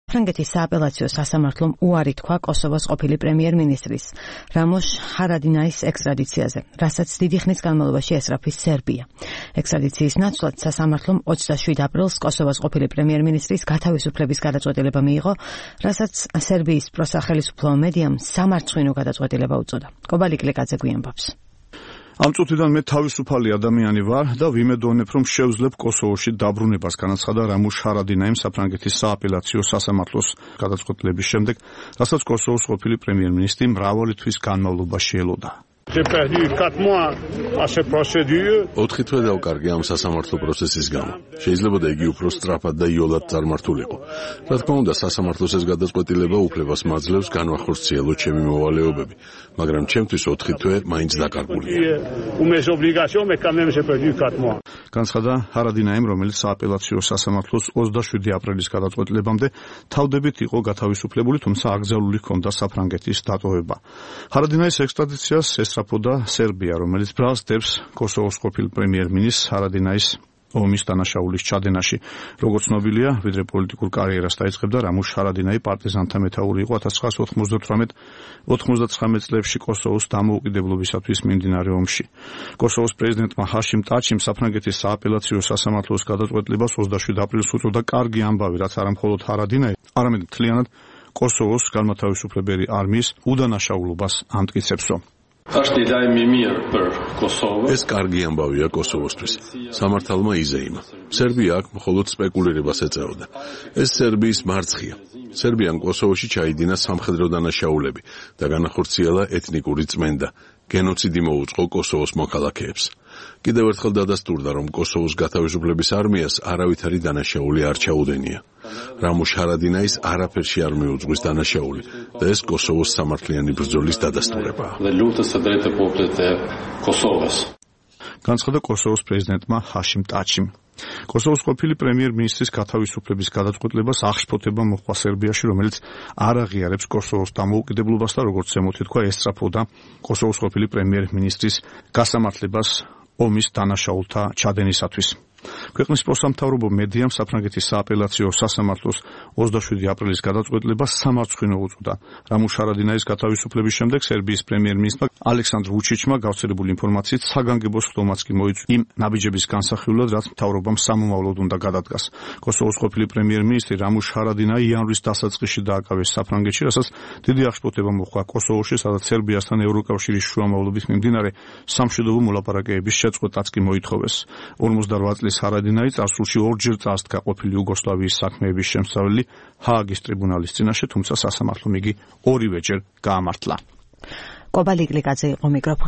ფრანგეთის სააპელაციო სასამართლომ უარი თქვა კოსოვოს ყოფილი პრემიერ-მინისტრის რამოშ ჰარადინაის ექსტრადიციაზე, რასაც დიდი ხნის განმავლობაში ესწრაფის სერბია. ექსტრადიციის ნაცვლად სასამართლომ 27 აპრილს კოსოვოს ყოფილი პრემიერ-მინისტრის გათავისუფლების გადაწყვეტილება მიიღო, რასაც სერბიის პროსახელისუფლო მედიამ სამარცხვინო გადაწყვეტილება უწოდა. კობალი კლიკაძე გვიანბობს. Am წუთიდან მე თავისუფალი ადამიანი ვარ და ვიმედოვნებ, რომ შევძლებ კოსოვოში დაბრუნებას, განაცხადა რამუშ ჰარადინაიმ საფრანგეთის სააპელაციო სასამართლოს გადაწყვეტილების შემდეგ, რასაც კოსოვოს ყოფილი პრემიერ-მინისტრი მრავალი თვის განმავლობაში ელოდა. J'ai perdu 4 mois à cette procédure. 4 თვე დავკარგე ამ სასამართლო პროცესის გამო. შეიძლება და იგი უფრო სწრაფად და იოლად წარმართულიყო. რა თქმა უნდა, სასამართლოს ეს გადაწყვეტილება უფლებას მაძლევს განვახორციელო ჩემი მოვალეობები, მაგრამ ჩემთვის 4 თვე მაინც დაკარგულია. Mes obligations, mais quand même j'ai perdu 4 mois. განცხადა ჰარადინაიმ, რომელიც სააპელაციო სასამართლოს 27 აპრილის გადაწყვეტილებამდე თავდებით იყო გათავისუფლებული, თუმცა აკრძალული ჰქონდა საფრანგეთის დატოვება. ჰარადინაის ექსტრადიციას ესწრაფოდა სერბია, რომელიც ბრალს დებს კოსოვოს ყოფილ პრემიერ-მინისტრს ჰარადინაის ომის დანაშაულის ჩადენაში. როგორც ცნობილია, ვიდრე პოლიტიკურ კარიერას დაიწყებდა, რამუშ ჰარადინაი პარტიზანთა მეთაური იყო 1998-99 წლებში კოსოვოს დამოუკიდებლობისათვის მიმდინარე ომში. კოსოვოს პრეზიდენტმა ჰაშიმ ტაჩიმ საფრანგეთის სააპელაციო სასამართლოს გადაწყვეტილებას 27 აპრილს უწოდა კარგი ამბავი, რაც არა მხოლოდ ჰარადინაი, არამედ მთლიანად კოსოვოს განმათავისუფლებელი არმიის უდანაშაულობას ამტკიცებსო. ეს კარგი ამბავია კოსოვოსთვის. სამართალმა იზეიმა. სერბია აქ მხოლოდ სპეკულირებას ეწეოდა. ეს სერბიის მარცხია. სერბიამ კოსოვოში ჩაიდინა სამხედრო დანაშაულები და განახორციელა ეთნიკური წმენდა. გენოციდი მოუწყო კოსოვოს მოქალაქეებს. კიდევ ერთხელ დადასტურდა, რომ კოსოვოს გათავისუფლების არმიას არავითარი დანაშაული არ ჩაუდენია. რამუშ ჰარადინაის არაფერში არ მიუძღვის დანაშაული და ეს კოსოვოს სამართლიანი ბრძოლის დადასტურებაა. განცხადა კოსოვოს პრეზიდენტმა ჰაშიმ ტაჩიმ. კოსოვოს ყოფილი პრემიერ-მინისტრის გათავისუფლების გადაწყვეტილებას აღშფოთება მოჰყვა სერბიაში, რომელიც არ აღიარებს კოსოვოს დამოუკიდებლობას და როგორც ზემოთ ითქვა, ესწრაფოდა კოსოვოს ყოფილი პრემიერ-მინისტრის გასამართლებას ომის დანაშაულთა ჩადენისათვის. ქვეყნის პროსამთავრობო მედიამ საფრანგეთის სააპელაციო სასამართლოს 27 აპრილის გადაწყვეტილებას სამარცხვინო უწოდა. რამუშ ჰარადინაის გათავისუფლების შემდეგ სერბიის პრემიერ-მინისტრმა ალექსანდრ ვუჩიჩმა გავრცელებული ინფორმაციით საგანგებო სხდომაც კი მოიწვია იმ ნაბიჯების განსახილველად, რაც მთავრობამ სამომავლოდ უნდა გადადგას. კოსოვოს ყოფილი პრემიერ-მინისტრი რამუშ ჰარადინაი იანვრის დასაწყისში დააკავეს საფრანგეთში, რასაც დიდი აღშფოთება მოჰყვა კოსოვოში, სადაც სერბიასთან ევროკავშირის შუამავლობით მიმდინარე სამშვიდობო მოლაპარაკებების შეწყვეტაც კი მოითხოვეს. 58 წლის ჰარადინაი წარსულში ორჯერ წასდგა ყოფილი იუგოსლავიის საქმეების შემსწავლელი ჰააგის ტრიბუნალის წინაშე, თუმცა სასამართლომ იგი ორივეჯერ გაამართლა. კობალი კლიკაძე იყო მიკროფონი.